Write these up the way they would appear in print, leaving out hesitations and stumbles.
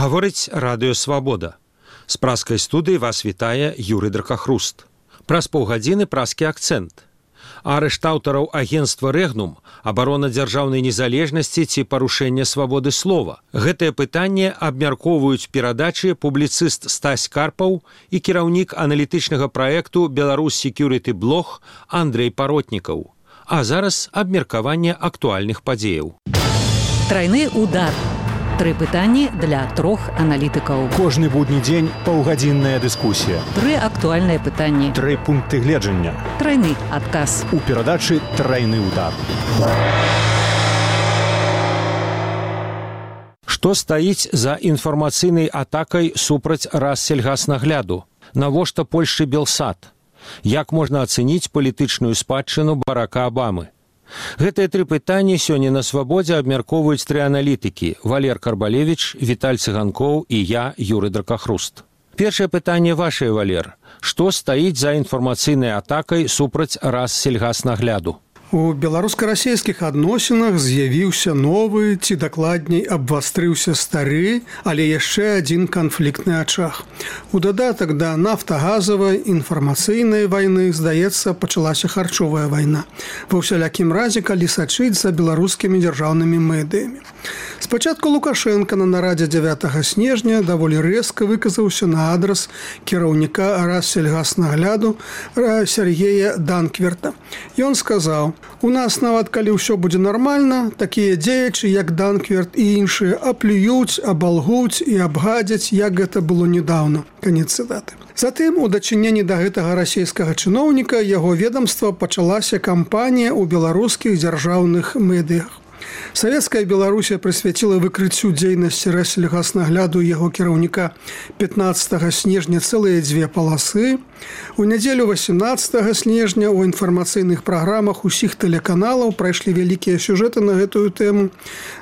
Гаворыць Радыё Свабода. З праскай студыі вас вітае Юрый Дракахруст. Праз паўгадзіны праскі акцэнт. Арышт аўтараў агенцтва «Рэгнум», абарона дзяржаўнай незалежнасці ці парушэнне свабоды слова. Гэтае пытанне абмяркоўваюць перадачы публіцыст Стась Карпаў і кіраўнік аналітычнага праекту «Беларусь Security Blog» Андрэй Паротнікаў. А зараз абмеркаванне актуальных падзеяў. Трайны удар. 3 пытанні для 3 аналітыкаў. Кожны будні дзень паўгадзінная дыскусія. 3 актуальныя пытанні. 3 пункты гледжання. Трайны адказ. У перадачы «Трайны удар». Што стаіць за інфармацыйнай атакай супраць Рассельгаснагляду? Навошта Польшчы Белсат? Як можна ацэніць палітычную спадчыну Барака Абамы? Гэтыя 3 пытанні сёння на Свабодзе абмяркоўваюць 3 аналітыкі – Валер Карбалевіч, Віталь Цыганкоў і я, Юрый Дракахруст. Першае пытанне вашае, Валер. Што стаіць за інфармацыйнай атакай супраць Рассельгаснагляду? У беларуска-расійскіх адносінах з'явіўся новы, ці дакладней абвастрыўся стары, але яшчэ адзін канфліктны ачаг. У дадатак да нафтагазавай інфармацыйнай вайны, здаецца, пачалася харчовая вайна. Ва ўсялякім разе, калі сачыць за беларускімі дзяржаўнымі медыямі. Спачатку Лукашенко на нарадзе 9 снежня даволі рэзка выказаўся на адрас кіраўніка Рассельгаснагляду Сергея Данкверта. Ён сказаў: «У нас нават калі ўсё будзе нармальна, такія дзеячы, як Данкверт і іншыя, аплююць, абалгуць і абгадзяць, як гэта было недаўно». Канец цытаты. Затым, у дачыненні да гэтага расійскага чыноўніка, яго ведамства пачалася кампанія ў беларускіх дзяржаўных медыях. Савецкая Беларусія прысвяціла выкрыццю дзейнасці Рассельгаснагляду яго кіраўніка 15 снежня цэлыя 2 паласы. У нядзелю 18 снежня ў інфармацыйных праграмах усіх тэлеканалаў прайшлі вялікія сюжэты на гэтую тэму.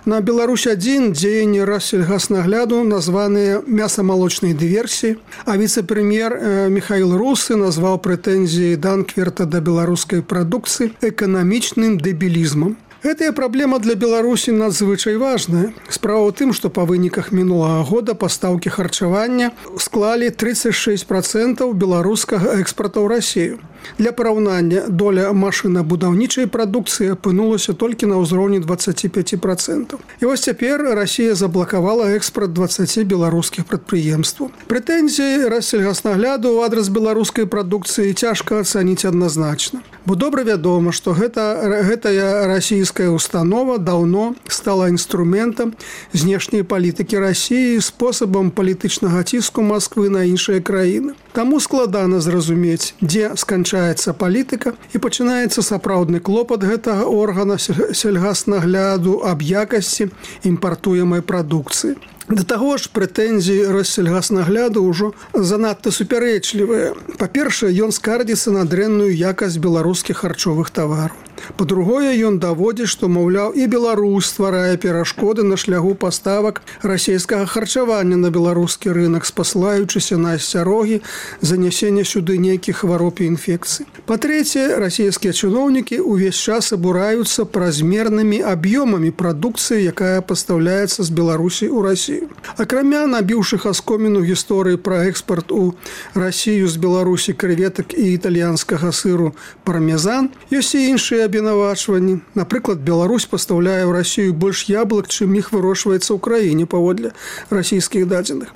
На Беларусь-1 дзеянні Рассельгаснагляду названыя мясамалочнай дыверсіяй, а віцэ-прэм'ер Михаил Русы назваў прэтэнзіі Данкверта да беларускай прадукцыі эканамічным дэбілізмам. Гэтая праблема для Беларусі надзвычай важная. Справа ў тым, што па выніках мінулага года пастаўкі харчавання склалі 36% беларускага экспарту ў Расію. Для параўнання, доля машынабудаўнічай прадукцыі апынулася толькі на ўзроўні 25%. І вось цяпер Расія заблакавала экспарт 20 беларускіх прадпрыемстваў. Прэтэнзіі Рассельгаснагляду ў адрас беларускай прадукцыі цяжка ацаніць адназначна. Бо добра вядома, што гэтая расійская установа даўно стала інструментам знешняй палітыкі Расіі, спосабам палітычнага ціску Масквы на іншыя краіны. Таму складана зразумець, дзе сканчаецца палітыка і пачынаецца сапраўдны клопат гэтага органа сельгаснагляду аб якасці імпартуемай прадукцыі. Да таго ж, прэтэнзіі Рассельгаснагляду ўжо занадта супярэчлівыя. Па-першае, ён скардзіцца на дрэнную якасць беларускіх харчовых тавараў. Па-другое, ён даводзіць, што, маўляў, і Беларусь стварае перашкоды на шляху паставак расійскага харчавання на беларускі рынак, спасылаючыся на асцярогі занясення сюды нейкіх хвароб і інфекцый. Па-трэцяе, расійскія чыноўнікі ўвесь час абураюцца празмернымі аб'ёмамі прадукцыі, якая пастаўляецца з Беларусі ў Расію. Акрамя набіўшых аскоміну гісторыі пра экспарт у Расію з Беларусі крэветак і італьянскага сыру пармезан, ёсць і іншыя абвінавачванні. Напрыклад, Беларусь пастаўляе ў Расію больш яблык, чым іх вырошчваецца ў краіне паводле расійскіх дадзеных.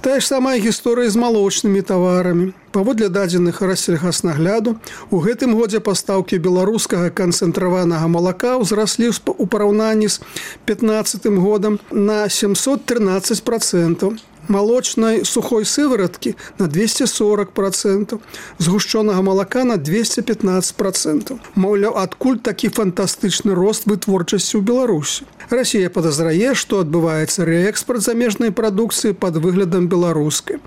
Тая ж самая гісторыя з малочнымі таварамі. Паводле дадзеных Рассельгаснагляду, у гэтым годзе пастаўкі беларускага канцэнтраванага малака ўзраслі ў параўнанні з 15 годам на 713%. Малочнай сухой сывороткі на 240%, згушчонага малака на 215%. Маўляў, адкуль такі фантастычны рост вытворчасці ў Беларусі? Расія падазрае, што адбываецца рээкспарт замежнай прадукцыі пад выглядам беларускай.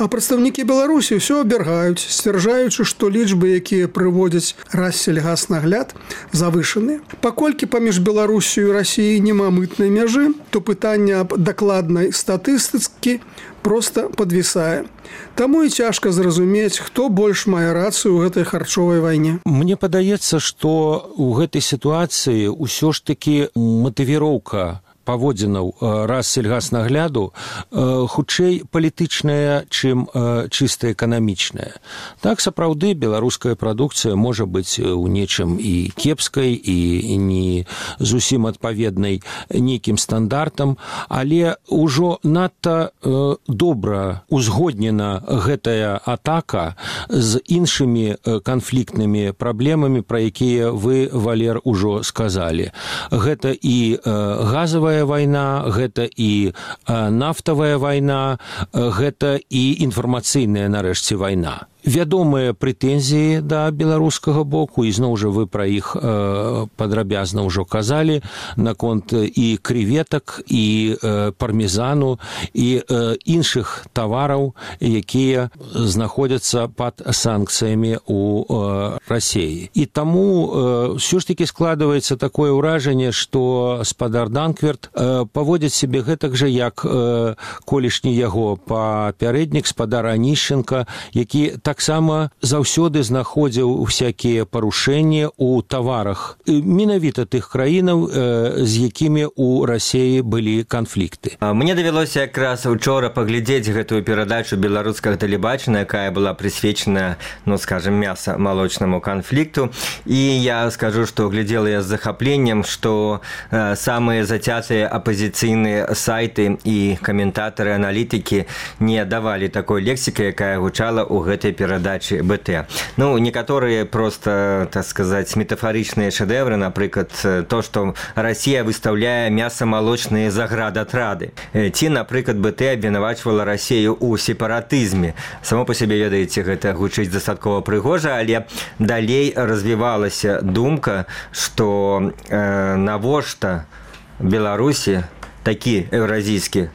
А прадстаўнікі Беларусі ўсё абвяргаюць, сцвярджаючы, што лічбы, якія прыводзяць Рассельгаснагляд, завышаныя. Паколькі паміж Беларусю і Расіяй няма мытнай мяжы, то пытанне аб дакладнай статыстыцы проста падвісае. Таму і цяжка зразумець, хто больш мае рацыю ў гэтай харчовай вайне. Мне падаецца, што ў гэтай сітуацыі ўсё ж такі матывіроўка паводзінаў Рассельгаснагляду хутчэй палітычная, чым чыста эканамічная. Так, сапраўды, беларуская прадукцыя можа быць у нечым і кепскай, і не зусім адпаведнай нейкім стандартам, але ўжо надта добра узгоднена гэтая атака з іншымі канфліктнымі праблемамі, пра якія вы, Валер, ужо сказалі. Гэта і газавая вайна, гэта і нафтавая вайна, гэта і інфармацыйная, нарэшце, вайна. Вядомыя прэтэнзіі да беларускага боку, і зноў жа вы пра іх падрабязна ўжо казалі, наконт і крэветак, і пармезану, і іншых тавараў, якія знаходзяцца пад санкцыямі ў Расіі. І таму ўсё ж такі складваецца такое ўражанне, што спадар Данкверт паводзіць сябе гэтак жа, як колішні яго папярэднік спадар Анішченка, які таксама заўсёды знаходзіў усякія парушэнні ў таварах менавіта тых краінаў, з якімі ў Расіі былі канфлікты. Мне давялося якраз учора паглядзець гэтую перадачу беларускага тэлебачання, якая была прысвечана, скажем, мяса-малочнаму канфлікту. І я скажу, што глядзела я з захапленнем, што самыя зацятыя апазіцыйныя сайты і каментатары, аналітыкі не давалі такой лексікі, якая гучала ў гэтай перадачи БТ. Некоторые просто, так сказать, метафоричные шедевры, например, то, что Россия выставляет мясо-молочные заградотрады. Ці, например, БТ обвинувачивала Россию у сепаратизме. Само по себе, ведаете, это гучыць дастаткова прыгожа, але далей развивалась думка, что навошта Беларусі такі еўразійскі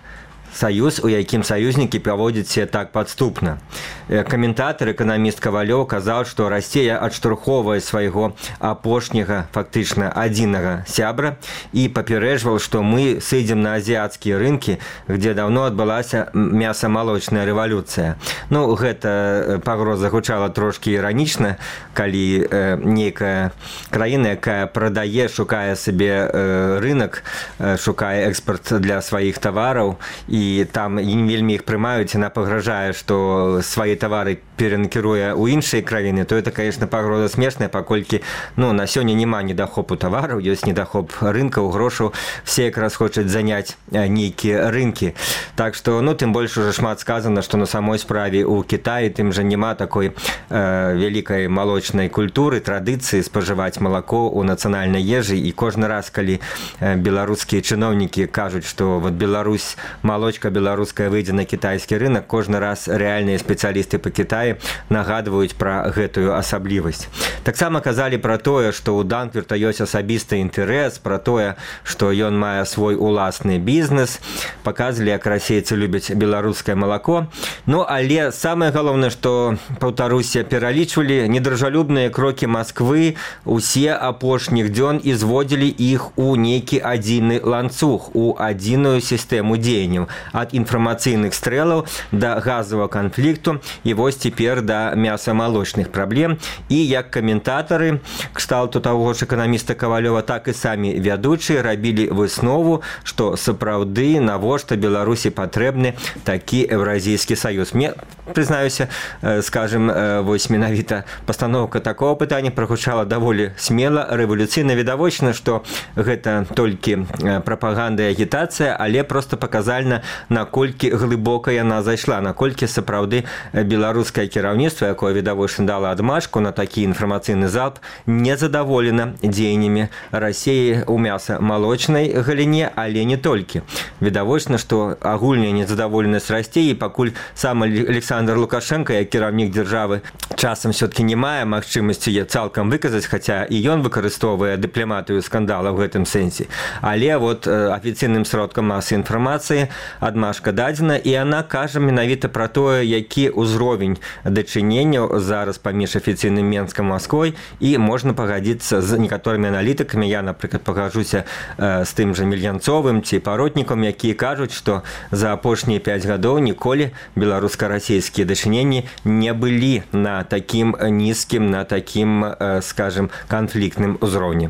саюз, у якім саюзнікі праводзяць себя так падступна. Каментатар, эканаміст Кавалёў казаў, што Расія адштурхоўвае свайго апошняга, фактычна адзінага сябра і папярэджваў, што мы сыдзем на азіяцкія рынкі, где давно адбылася мяса-малочная рэвалюцыя. Гэта пагроза гучала трошкі іранічна, калі нейкая краіна, якая прадае, шукае сабе рынок, шукае экспорт для сваіх тавараў, і там не вельмі іх прымаюць, яна пагражае, што свае тавары перанакіруе ў іншыя краіны, то это, конечно, пагроза смешная, паколькі на сёння няма недахопу тавараў, ёсць недахоп рынкаў, грошаў, все якраз хочуць заняць нейкія рынкі. Так што, тым больш уже шмат сказана, што на самой справе ў Кітаі тым жа няма такой вялікай малочнай культуры, традыцыі спажываць малако ў нацыянальнай ежы, і кожны раз, калі беларускія чыноўнікі кажуць, што Беларусь, малочка беларуская выйдзе на кітайскі рынок, кожны раз рэальныя спецыялісты па Кітаі нагадваюць пра гэтую асаблівасць. Таксама казалі пра тое, што ў Данкверта ёсць асабісты інтарэс, пра тое, што ён мае свой уласны бізнес, паказвалі, як расейцы любяць беларускае малако. Але самае галоўнае, што, паўтаруся, пералічвалі недружалюбныя крокі Масквы усе апошніх дзён і зводзілі іх у нейкі адзіны ланцуг, у адзіную сістэму дзеянняў, ад інфармацыйных стрэлаў да газавага канфлікту і вось цяпер да мяса-малочных праблем. І як каментатары кшталту таго ж эканаміста Кавалёва, так і самі вядучыя рабілі выснову, што сапраўды навошта Беларусі патрэбны такі еўразійскі саюз. Мне, прызнаюся, скажем, вось менавіта пастаноўка такого пытання прагучала даволі смела, рэвалюцыйна. Відавочна, што гэта толькі прапаганда і агітацыя, але просто паказальна, наколькі глыбока яна зайшла, наколькі сапраўды беларускае кіраўніцтва, якое відавочна дала адмашку на такі інфармацыйны залп, незадаволена дзеяннямі Расіі ў мяса-малочнай галіне, але не толькі. Відавочна, што агульная незадаволенасць расце, і пакуль сам Александр Лукашенко, як кіраўнік дзяржавы, часам все-таки не мае магчымасці цалкам выказаць, хаця і ён выкарыстоўвае дыпламатыю скандала ў гэтым сэнсе. Але афіцыйным сродкам масы інфармацыі адмашка дадзена, і яна кажа менавіта пра тое, які ўзровень дачыненняў зараз паміж афіцыйным Менскам і Масквой, і можна пагадзіцца з некаторымі аналітыкамі. Я, напрыклад, пагажуся з тым жа Мельянцовым ці Паротнікам, якія кажуць, што за апошнія 5 гадоў ніколі беларуска-расійскія дачыненні не былі на такім нізкім, на такім, скажем, канфліктным узроўні.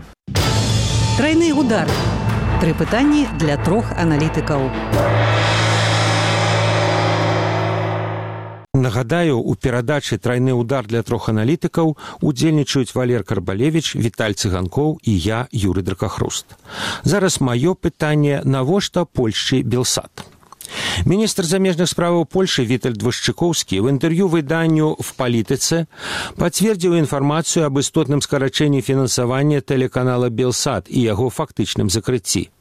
Тройны удар. Тры пытанні для 3 аналітыкаў. Нагадаю, у перадачы «Трайны удар» для 3 аналітыкаў удзельнічаюць Валер Карбалевіч, Віталь Цыганкоў і я, Юрый Дракахруст. Зараз маё пытанне: навошта Польшчы Белсат? Міністр замежных справаў Польши Вітальд Вашчыкоўскі в інтэрв'ю выданню «В палітыцы» пацвердзіў інфармацыю аб істотным скарачэнні фінансавання тэлеканала «Белсат» і яго фактычным закрыцці.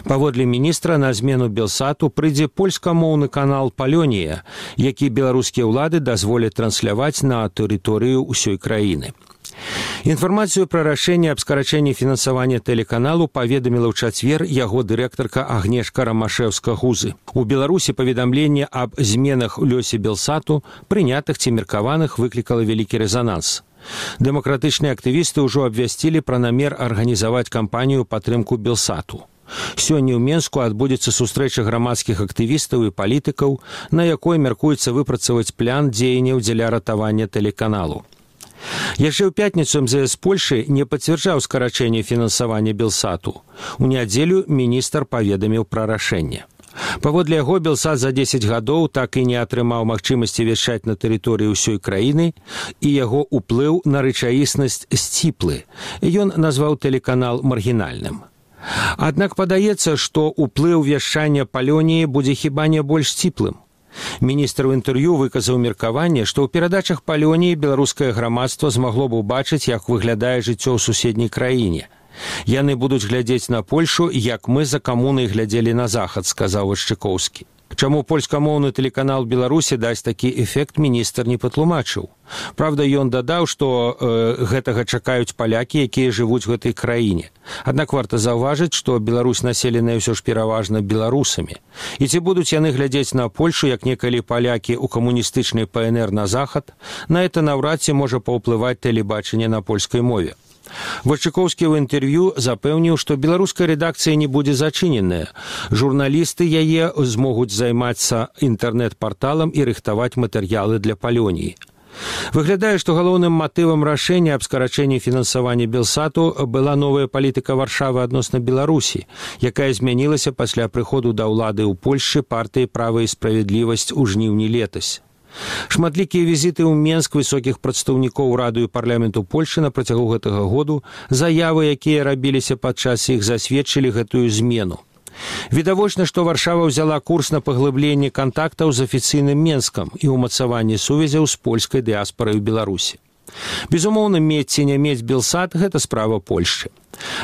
Паводле міністра, на змену «Белсату» прыйдзе польскамоўны канал «Палёнія», які беларускія ўлады дазволяць трансляваць на тэрыторыю ўсёй краіны. Інфармацыю пра рашэнне аб скарачэнні фінансавання тэлеканалу паведаміла ў чацвер яго дырэктарка Агнешка Рамашэўска-Гузы. У Беларусі паведамленне аб зменах у лёсе «Белсату», прынятых ці меркаваных, выклікала вялікі рэзананс. Дэмакратычныя актывісты ўжо абвясцілі пра намер арганізаваць кампанію падтрымку «Белсату». Сёння ў Менску адбудзецца сустрэча грамадскіх актывістаў і палітыкаў, на якой мяркуецца выпрацаваць план дзеянняў дзеля ратавання тэлеканалу. Яшчэ ў пятніцу МЗС Польши не пацвярджаў скарачэнне фінансавання «Белсату». У нядзелю міністр паведаміў пра рашэнне. Паводле яго, «Белсат» за 10 гадоў так і не атрымаў магчымасці вяшчаць на тэрыторыі ўсёй краіны, і яго ўплыў на рэчаіснасць сціплы. Ён назваў тэлеканал маргінальным. Аднак падаецца, што ўплыў вяшчання «Палёніі» будзе хіба не больш сціплым. Міністр у інтэрв'ю выказаў меркаванне, што ў перадачах «Палёніі» беларускае грамадства змагло б убачыць, як выглядае жыццё ў суседняй краіне. «Яны будуць глядзець на Польшу, як мы за камунай глядзелі на захад», сказаў Вашчыкоўскі. Чаму польскамоўны тэлеканал Беларусі дасць такі эфект, міністр не патлумачыў. Праўда, ён дадаў, што гэтага чакаюць палякі, якія жывуць у гэтай краіне. Аднак варта заўважыць, што Беларусь населеная ўсё ж пераважна беларусамі. І ці будуць яны глядзець на Польшу, як некалі палякі ў камуністычнай ПНР на захад, на гэта наўрад ці можа паўплываць тэлебачанне на польскай мове. Вашчыкоўскі ў інтэрв'ю запэўніў, што беларуская рэдакцыя не будзе зачыненая. Журналісты яе змогуць займацца інтэрнэт-парталам і рыхтаваць матэрыялы для «Палёніі». Выглядае, што галоўным матывам рашэння аб скарачэнні фінансавання «Белсату» была новая палітыка Варшавы адносна Беларусі, якая змянілася пасля прыходу да ўлады ў Польшчы партыі «Права і справядлівасць» у жніўні летась. Шматлікія візіты ў Менск высокіх прадстаўнікоў Рады і парламенту Польши на працягу гэтага году, заявы, якія рабіліся падчас іх, засведчылі гэтую змену. Відавочна, што Варшава ўзяла курс на паглыбленне кантактаў з афіцыйным Менскам і ўмацаванне сувязяў з польскай дыаспарай у Беларусі. Безумоўна, мець ці не мець «Белсат» – гэта справа Польшчы.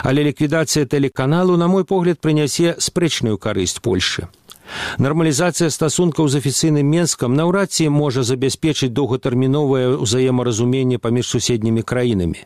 Але ліквідацыя тэлеканалу, на мой погляд, прынясе спрэчную карысць Польшчы. Нармалізацыя стасункаў з афіцыйным Менскам наўрад ці можа забяспечыць доўгатэрміновае ўзаемаразуменне паміж суседнімі краінамі.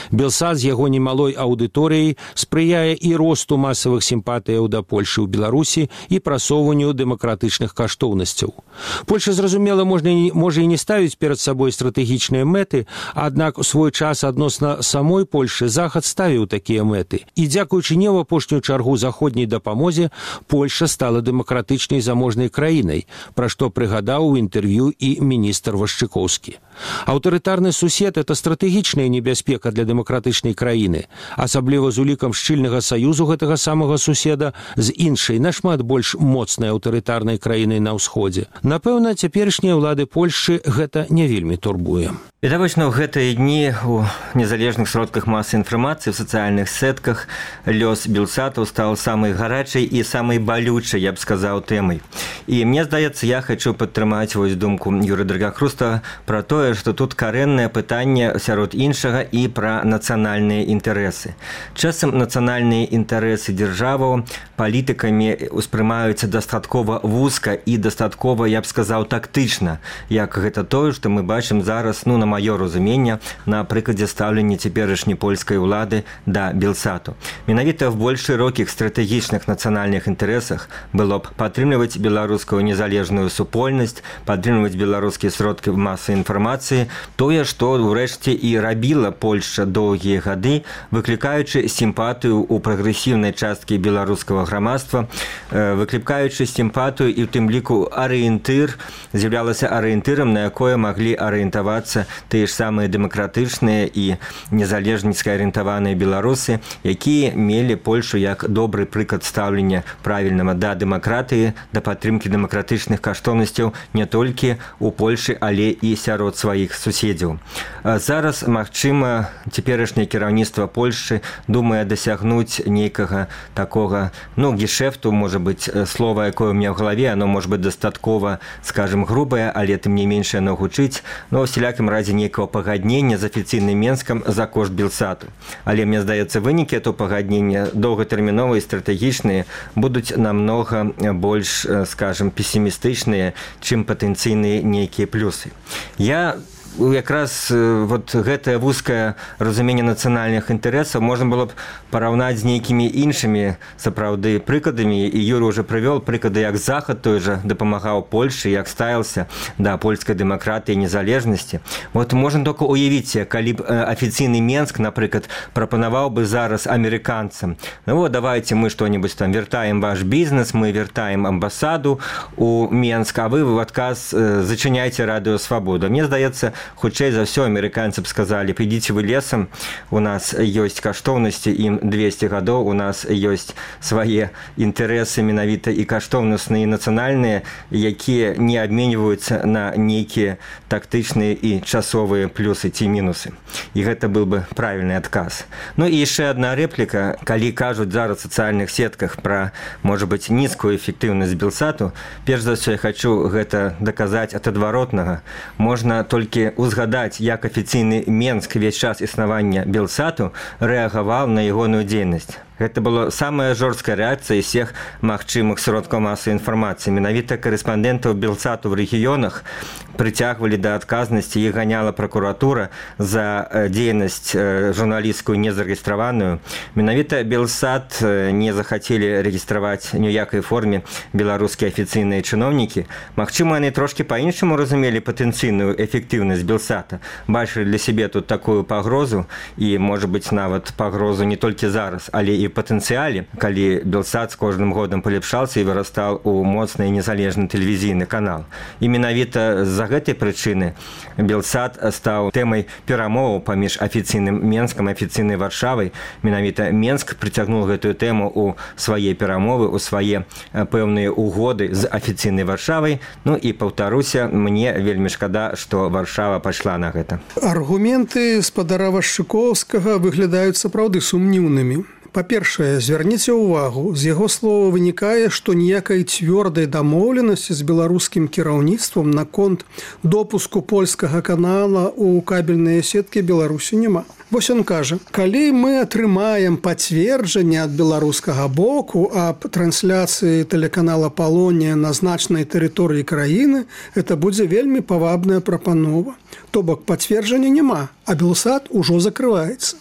«Белсат» з яго немалой аўдыторыяй спрыяе і росту масавых сімпатыяў да Польшы ў Беларусі і прасоўванню дэмакратычных каштоўнасцяў. Польша, зразумела, можа і не ставіць перад сабой стратэгічныя мэты, аднак у свой час адносна самой Польшы Захад ставіў такія мэты. І дзякуючы не ў апошнюю чаргу заходняй дапамозе, Польша стала дэмакратычнай заможнай краінай, пра што прыгадаў у інтэрв'ю і міністр Вашчыкоўскі. Аўтарытарны сусед – это стратэгічная небяспека для дэмакратычнай краіны, асабліва з улікам шчыльнага саюзу гэтага самага суседа з іншай, нашмат больш моцнай аўтарытарнай краінай на ўсходзе. Напэўна, цяперашнія ўлады Польшчы гэта не вельмі турбуе. Відавочна, ў гэтыя дні у незалежных сродках масавай інфармацыі, в сацыяльных сетках лёс «Белсату» стаў самай гарачай і самай балючай, я б сказаў, тэмай. І мне здаецца, я хочу падтрымаць вось думку Юрыя Дракахруста пра тое, што тут карэннае пытанне сярод іншага і пра нацыянальныя інтарэсы. Часам нацыянальныя інтарэсы дзяржаваў палітыкамі ўспрымаюцца дастаткова вузка і дастаткова, я б сказаў, тактычна, як гэта тое, што мы бачым зараз, на маё разуменне, на прыкладзе стаўлення цяперашняй польскай улады да «Белсату». Менавіта в больш шырокіх стратэгічных нацыянальных інтарэсах было б падтрымліваць беларускую незалежную супольнасць, падтрымліваць беларускія сродкі масавай інфармацыі, тое, што ўрэшце і рабіла Польшча доўгія гады, выклікаючы сімпатыю ў прагрэсіўнай часткі беларускага грамадства, выклікаючы сімпатыю і ў тым ліку арыентыр, з'яўлялася арыентырам, на якое маглі арыентавацца тыя ж самыя дэмакратычныя і незалежніцка арыентаваныя беларусы, якія мелі Польшу як добры прыклад стаўлення правільнага да дэмакратыі, да падтрымкі дэмакратычных каштоўнасцяў не толькі ў Польшы, але і сярод сваіх суседзяў. Зараз, магчыма, цяперашняе кіраўніцтва Польшчы думае дасягнуць нейкага такога, гешэфту, можа быць, слова, якое ў меня ў галаве, оно можа быць дастаткова, скажем, грубае, але тым не менш яно гучыць, но ў усялякім разе нейкага пагаднення з афіцыйным Менскам за кошт Белсату. Але мне здаецца, вынікі этого пагаднення доўгатэрміновыя і стратэгічныя будуць намнога больш, скажем, песімістычныя, чым патэнцыйныя нейкія плюсы. Я якраз вот гэтае вузкае разуменне нацыянальных інтарэсаў можна было б параўнаць з нейкімі іншымі сапраўды прыкладамі, і Юрый уже прывёл прыклады, як Захад той жа дапамагаў Польшы, як ставіўся да польскай дэмакратыі і незалежнасці. Вот можна толькі уявіць, калі б афіцыйны Менск, напрыклад, прапанаваў бы зараз амерыканцам: вот давайте мы што-нибудь там вяртаем ваш бізнес, мы вяртаем амбасаду у Менск, а вы в адказ зачыняйце радыё Свабода. Мне здаецца, хутчэй за ўсё амерыканцы б сказалі: «Підзіце вы лесам, у нас ёсць каштоўнасці, ім 200 гадоў, у нас ёсць свае інтарэсы менавіта і каштоўнасныя, і нацыянальныя, якія не абменьваюцца на нейкія тактычныя і часовыя плюсы ці мінусы». І гэта быў бы правільны адказ. І яшчэ адна рэпліка. Калі кажуць зараз у сацыяльных сетках пра, можа быць, нізкую эфектыўнасць Белсату, перш за ўсё я хачу гэта даказаць ад адваротнага. Можна толькі узгадаць, як афіцыйны Менск весь час існавання Белсату рэагаваў на ягоную дзейнасць. Гэта была самая жорсткая рэакцыя всех магчымых сродкаў масавай інфармацыі. Менавіта корэспандэнтаў Белсату в рэгіёнах прыцягвалі да адказнасці, іх ганяла пракуратура за дзейнасць журналісцкую незарэгістраваную. Менавіта Белсат не захацелі рэгістраваць ні ў якай форме беларускія афіцыйныя чыноўнікі. Магчыма, яны трошкі па-іншаму разумелі патэнцыйную эфектыўнасць Белсата, бачылі для сябе тут такую пагрозу, і, можа быць, нават пагрозу не толькі зараз, але і патэнцыяле, калі Белсат з кожным годам палепшаўся і вырастаў у моцны і незалежны тэлевізійны канал. І менавіта з-за гэтай прычыны Белсат стаў тэмай перамоваў паміж афіцыйным Менскам і афіцыйнай Варшавай. Менавіта Менск прыцягнуў гэтую тэму ў свае перамовы, у свае пэўныя угоды з афіцыйнай Варшавай. І паўтаруся, мне вельмі шкада, што Варшава пайшла на гэта. Аргументы спадара Вашчыкоўскага выглядаюць сапраўды сумнівнымі. Па-першае, звярніце ўвагу, з яго слова вынікае, што ніякай цвёрдай дамоўленасці з беларускім кіраўніцтвам наконт допуску польскага канала ў кабельныя сеткі Беларусі няма. Вось ён кажа: «Калі мы атрымаем пацверджанне ад беларускага боку аб трансляцыі тэлеканала «Палонія» на значнай тэрыторыі краіны, это будзе вельмі павабная прапанова. То бок пацверджання няма, а Белсат ужо закрываецца».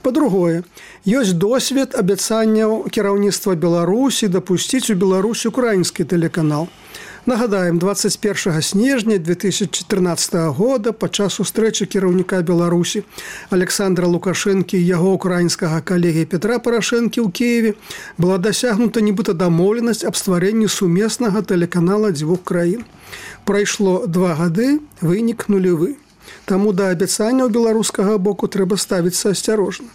Па-другое, ёсць досвед абяцанняў кіраўніцтва Беларусі дапусціць у Беларусь украінскі тэлеканал. Нагадаем, 21 снежня 2014 года падчас сустрэчы кіраўніка Беларусі Александра Лукашэнкі і яго украінскага калегі Петра Парашэнкі ў Кіеве была дасягнута нібыта дамоўленасць аб стварэнні сумеснага тэлеканала дзвюх краін. Прайшло 2 гады, вынік нулевы. Таму да абяцанняў беларускага боку трэба ставіцца асцярожна.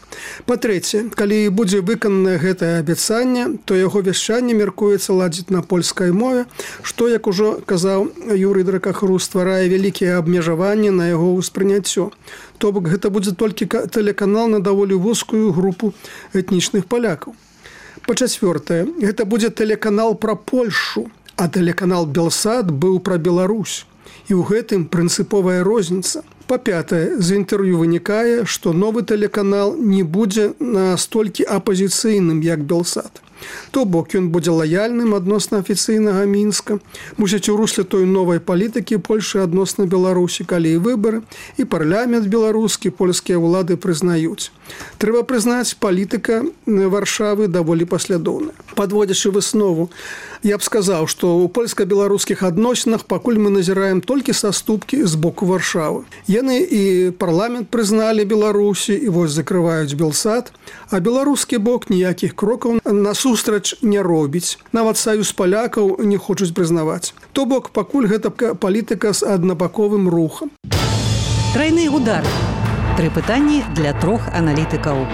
Па-трэцяе, калі будзе выкананае гэтае абяцанне, то яго вяшчанне мяркуецца ладзіць на польскай мове, што, як ужо казаў Юрый Дракахруст, стварае вялікія абмежаванні на яго ўспрыняццё. То бок гэта будзе толькі тэлеканал на даволі вузкую групу этнічных палякаў. Па-чацвёртае, гэта будзе тэлеканал пра Польшу, а тэлеканал Белсат быў пра Беларусь. І ў гэтым прынцыповая розніца. Па-пятае, з інтэрв'ю вынікае, што новы тэлеканал не будзе настолькі апазіцыйным, як Белсат. То бок ён будзе лаяльным адносна афіцыйнага Мінска, мусіць у русле той новай палітыкі Польшы адносна Беларусі, калі і выбары, і парламент беларускі, польскія ўлады прызнаюць. Трэба прызнаць, палітыка Варшавы даволі паслядоўная. Падводзячы выснову, я б сказаў, што ў польска-беларускіх адносінах пакуль мы назіраем толькі саступкі з боку Варшавы. Яны і парламент прызналі Беларусі, і вось закрываюць Белсад, а беларускі бок ніякіх крокаў насустрач не робіць. Нават саюз палякаў не хочуць прызнаваць. То бок пакуль гэта палітыка з аднабаковым рухам. Трайны удар. 3 пытанні для 3 аналітыкаў.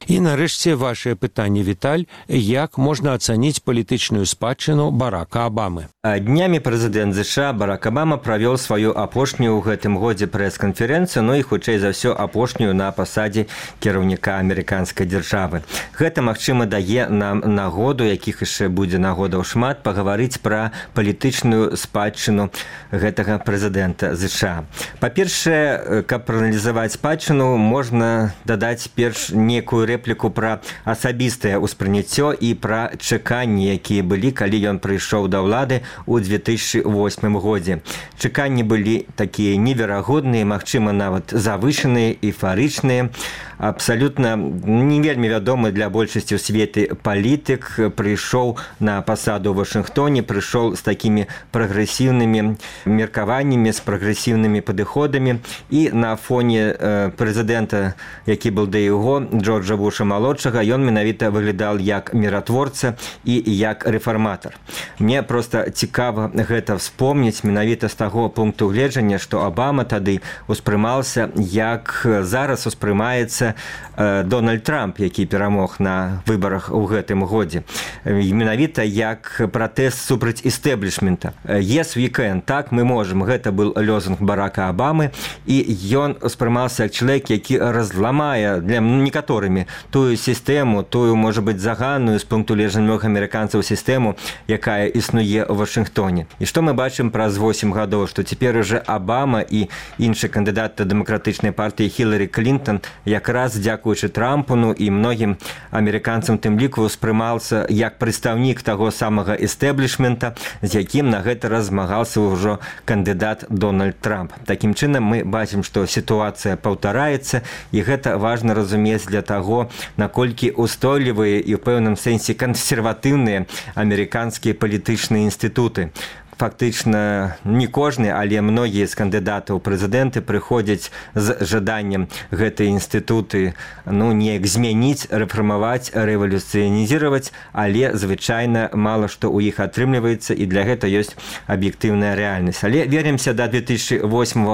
І нарэшце вашае пытанне, Віталь, як можна ацаніць палітычную спадчыну Барака Абамы? Днямі прэзідэнт ЗША Барак Абама правёў сваю апошнюю ў гэтым годзе прэс-канферэнцыю, ну і хутчэй за ўсё апошнюю на пасадзе кіраўніка амерыканскай дзяржавы. Гэта, магчыма, дае нам нагоду, якіх яшчэ будзе нагодаў шмат, пагаварыць пра палітычную спадчыну гэтага прэзідэнта ЗША. Па-першае, каб прааналізаваць спадчыну, можна дадаць перш некую рэпліку пра асабістае ўспрыняццё і пра чаканні, якія былі, калі ён прыйшоў да ўлады у 2008 годзе. Чаканні былі такія неверагодныя, магчыма, нават завышаныя, эйфарычныя. Абсалютна не вельмі вядомы для большасці ў свеце палітык прыйшоў на пасаду ў Вашынгтоне, прыйшоў з такімі прагрэсіўнымі меркаваннямі, з прагрэсіўнымі падыходамі, і на фоне прэзідэнта, які быў да яго, Джорджа Буша-малодшага, ён менавіта выглядаў як міратворца і як рэфарматар. Мне проста цікава гэта вспомніць менавіта з таго пункту гледжання, што Абама тады успрымаўся, як зараз успрымаецца Дональд Трамп, які перамог на выбарах у гэтым годзе. Менавіта як пратэст супраць істэблішмента. Yes, we can, так, мы можам. Гэта был лозунг Барака Абамы, і ён успрымаўся як чалавек, які разламае для некаторымі тую сістэму, тую, можа быць, заганную з пункту гледжання амерыканцаў сістэму, якая існуе ў Вашынгтоне. І што мы бачым праз 8 гадоў, што цяпер уже Абама і іншы кандыдат дэмакратычнай партыі Хіларі Клінтон якраз дзякуючы Трампу, ну і многім амерыканцам тым ліку успрымаўся як прадстаўнік таго самага эстэблішмента, з якім на гэта размагаўся ўжо кандыдат Дональд Трамп. Такім чынам мы бачым, што сітуацыя паўтараецца, і гэта важна разумець для таго, наколькі устойлівыя і ў пэўным сэнсе кансерватыўныя амерыканскія палітычныя інстытуты. Фактычна не кожны, але многія з кандыдатаў прэзідэнты прыходзяць з жаданнем гэтыя інстытуты неяк змяніць, рэфармаваць, рэвалюцыянізіраваць, але звычайна мала што ў іх атрымліваецца, і для гэта ёсць аб'ектыўная рэальнасць. Але вернемся да 2008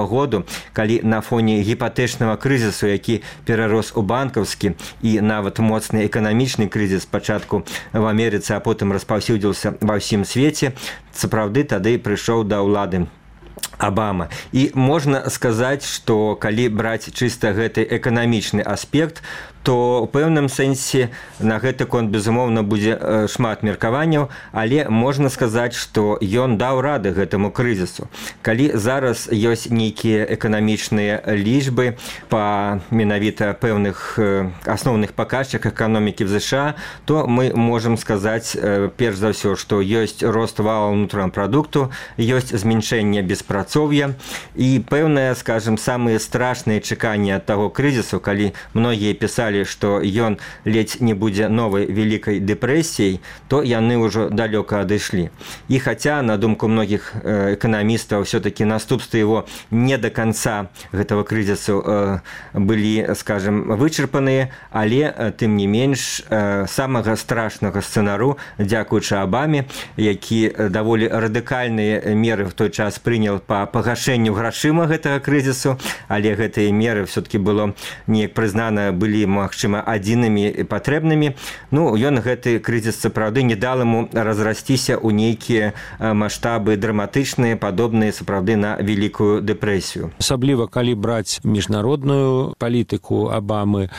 году, калі на фоне гіпатэчнага крызісу, які перарос у банкаўскі і нават моцны эканамічны крызіс спачатку в Амерыцы, а потым распаўсюдзіўся ва ўсім свеце, сапраўды тады прыйшоў да ўлады Абама. І можна сказаць, што калі браць чыста гэты эканамічны аспект, то ў пэўным сэнсе на гэты конт, безумоўна, будзе шмат меркаванняў, але можна сказаць, што ён даў рады гэтаму крызісу. Калі зараз ёсць нейкія эканамічныя лічбы па менавіта пэўных асноўных паказчыках эканомікі в ЗША, то мы можам сказаць, перш за ўсё, што ёсць рост валового внутреннего прадукту, ёсць зменшэнне беспрацоўя, і пэўныя, скажем, самыя страшныя чаканні ад таго крызісу, калі многія пісалі, што ён ледзь не будзе новай вялікай дэпрэсіяй, то яны ўжо далёка адышлі. І хаця, на думку многіх эканамістаў, все-таки наступствы его не до конца гэтага крызісу былі, скажем, вычарпаныя, але, тым не менш, самага страшнага сцэнару, дзякуючы Абаме, які даволі радыкальныя меры в той час прынял па пагашэнню грашыма гэтага крызісу, але гэтыя меры все-таки было неяк прызнана, былі, магчыма, адзінымі і патрэбнымі. Ён гэты крызіс, сапраўды, не дал ему разрасціся ў нейкія маштабы драматычныя, падобныя, сапраўды, на вялікую дэпрэсію. Асабліва, калі браць міжнародную палітыку Абамы,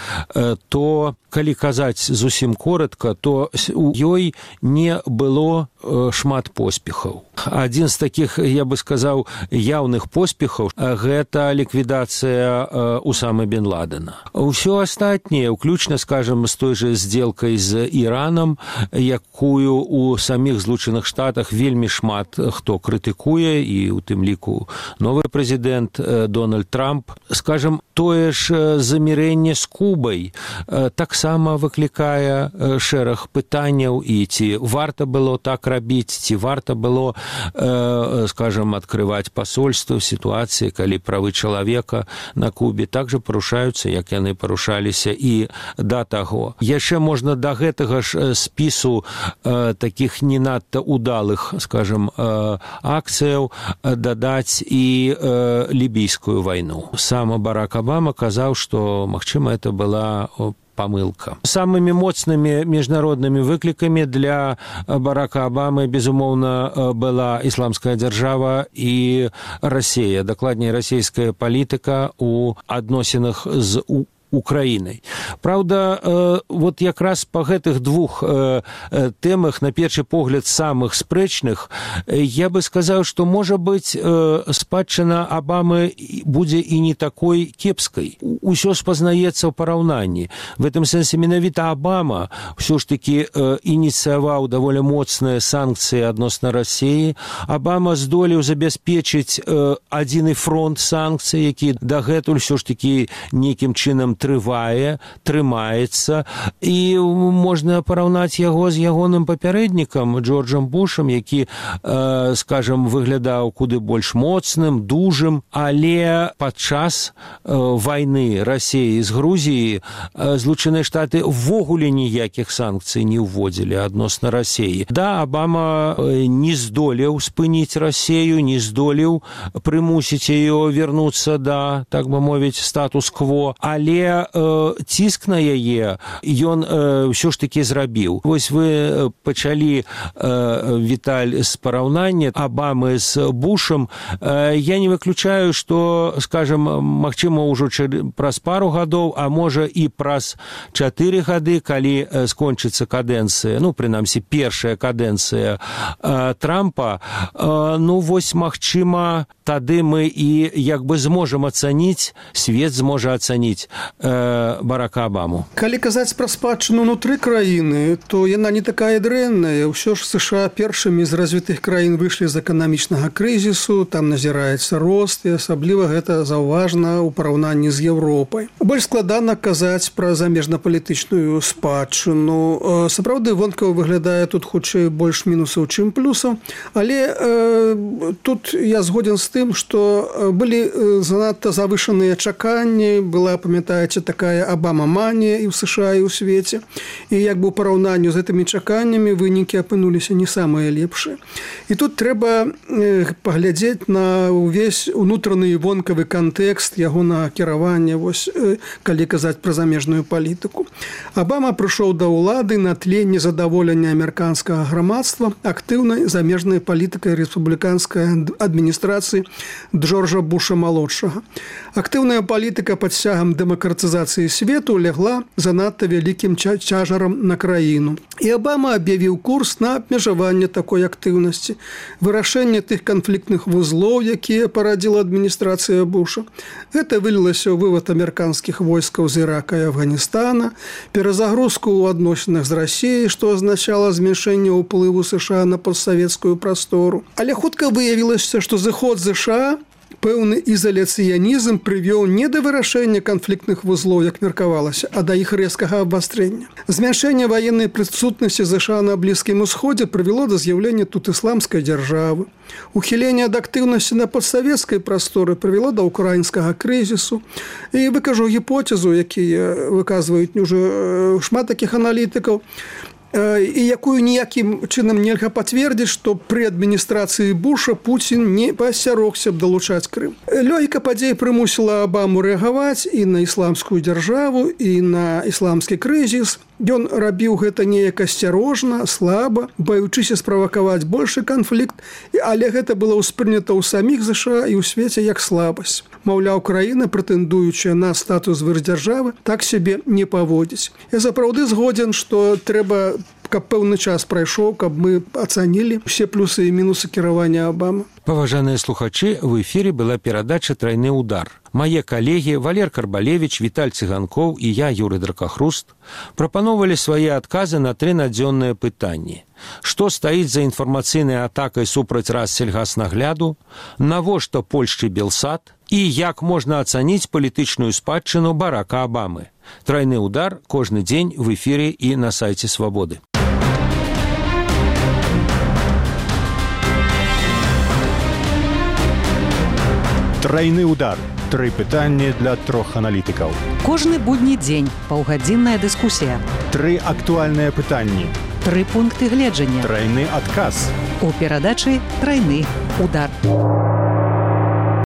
то, калі казаць зусім коратка, то у ёй не было шмат поспехаў. Адзін з такіх, я бы сказаў, яўных поспехаў гэта ліквідацыя Усамы бен Ладена. Усё астатняе, уключна, скажем, з той же сделкай з Іранам, якую у саміх Злучаных Штатах вельмі шмат хто крытыкуе, і у тым ліку новы прэзідэнт Дональд Трамп, скажем, тое ж замірэнне з Кубай таксама выклікае шэраг пытанняў, і ці варта было так рабіць, ці варта было, скажем, открывать посольство в ситуации, калі правы чалавека на Кубе также парушаюцца, як яны парушаліся і да таго. Яшчэ можна да гэтага ж спісу таких не надта удалых, скажем, акцыяў дадаць і лібійскую вайну. Сам Барак Обама казаў, што, магчыма, это была памылка. Самымі моцнымі міжнароднымі выклікамі для Барака Обамы, безумоўна, была ісламская дзяржава і Расія, дакладней, расійская палітыка у адносінах з Украінай. Праўда, вот якраз па гэтых двух тэмах, на першы погляд, самых спрэчных, я бы сказаў, што, можа быць, спадчына Обамы будзе і не такой кепскай. Усё спазнаецца ў параўнанні. В этом сэнсе менавіта Обама ўсё ж такі ініцыяваў даволі моцныя санкцыі адносна Расіі. Обама здолеў забяспечыць адзіны фронт санкцый, які дагэтуль ўсё ж такі нейкім чынам трымаецца, і можна параўнаць яго з ягоным папярэднікам Джорджам Бушам, які, скажем, выглядаў куды больш моцным, дужым, але падчас вайны Расіі з Грузіі Злучаныя Штаты ввогуле ніякіх санкцый не ўводзілі адносна Расіі. Да, Обама не здолеў спыніць Расію, не здолеў прымусіць яе вярнуцца да, так бы мовіць, статус-кво, але ціск на яе ён ўсё ж такі зрабіў. Вось вы пачалі, Віталь, з параўнання Обамы з Бушам. Я не выключаю, што, скажем, магчыма, ўжо праз пару гадоў, а можа і праз 4 гады, калі скончыцца кадэнцыя, ну, прынамсі, першая кадэнцыя Трампа, ну, вось, магчыма, тады мы і як бы зможам ацаніць, свет зможа ацаніць Барака Обаму. Калі казаць пра спадчыну ўнутры краіны, то яна не такая дрэнная. Ўсё ж США першымі з развітых краін выйшлі з эканамічнага крызісу, там назіраецца рост, і асабліва гэта заўважна ў параўнанні з Еўропай. Больш складана казаць пра замежнапалітычную спадчыну. Сапраўды, вонкава выглядае тут хутчэй больш мінусаў, чым плюсаў, але тут я згоден з тым, што былі занадта завышаныя чаканні, была, памятаеце, такая Обама-манія і ў США, і ў свеце. І як бы ў параўнанні з гэтымі чаканнямі вынікі апынуліся не самыя лепшыя. І тут трэба паглядзець на ўвесь унутраны і вонкавы кантэкст ягонага кіравання, вось, калі казаць пра замежную палітыку. Обама прыйшоў да ўлады на тле незадаволення амерыканскага грамадства актыўнай замежнай палітыкай рэспубліканскай адміністрацыі Джорджа Буша-малодшага. Актыўная палітыка пад сцягам дэмакратызацыі свету лягла занадта вялікім цяжарам на краіну. І Обама аб'явіў курс на абмежаванне такой актыўнасці, вырашэнне тых канфліктных вузлоў, якія парадзіла адміністрацыя Буша. Гэта вылілася ў вывад амерыканскіх войскаў з Ірака і Афганістана, перазагрузку ў адносінах з Расіяй, што азначала зменшэнне ўплыву США на постсавецкую прастору. Але хутка выявілася, што зыход США пэўны ізаляцыянізм прывёў не да вырашэння канфліктных вузлоў, як меркавалася, а да іх рэзкага абвастрэння. Змяншэнне ваеннай прысутнасці США на Блізкім Усходзе прывяло да з'яўлення тут ісламскай дзяржавы. Ухіленне ад актыўнасці на постсавецкай прасторы прывяло да ўкраінскага крызісу. І выкажу гіпотэзу, якія выказваюць ўжо шмат такіх аналітыкаў, і якую ніякім чынам нельга пацвердзіць, што пры адміністрацыі Буша Пуцін не паасцярогся б далучаць Крым. Логіка падзей прымусіла Обаму рэагаваць і на ісламскую дзяржаву, і на ісламскі крызіс. Ён рабіў гэта неяк асцярожна, слаба, баючыся справакаваць большы канфлікт, але гэта было ўспрынята ў саміх США і ў свеце як слабасць. Маўляў, краіна, прэтэндуючая на статус вырдзяржавы, так сябе не паводзіць. Я сапраўды згодзен, што трэба каб пэўны час прайшоў, каб мы ацанілі все плюсы і мінусы кіравання Абамы. Паважаныя слухачы, в эфіры была перадача «Трайны удар». Мае калегі Валер Карбалевіч, Віталь Цыганкоў і я, Юрый Дракахруст, прапановалі свае адказы на 3 надзённыя пытанні. Што стаіць за інфармацыйнай атакай супраць Рассельгаснагляду, навошта Польшчы Белсат і як можна ацаніць палітычную спадчыну Барака Абамы. «Трайны удар» кожны дзень в эфіры і на сайце Свабоды. Трайны удар. 3 пытанні для 3 аналітыкаў. Кожны будні дзень паўгадзінная дыскусія. 3 актуальныя пытанні. 3 пункты гледжання. Трайны адказ. У перадачы «Трайны удар».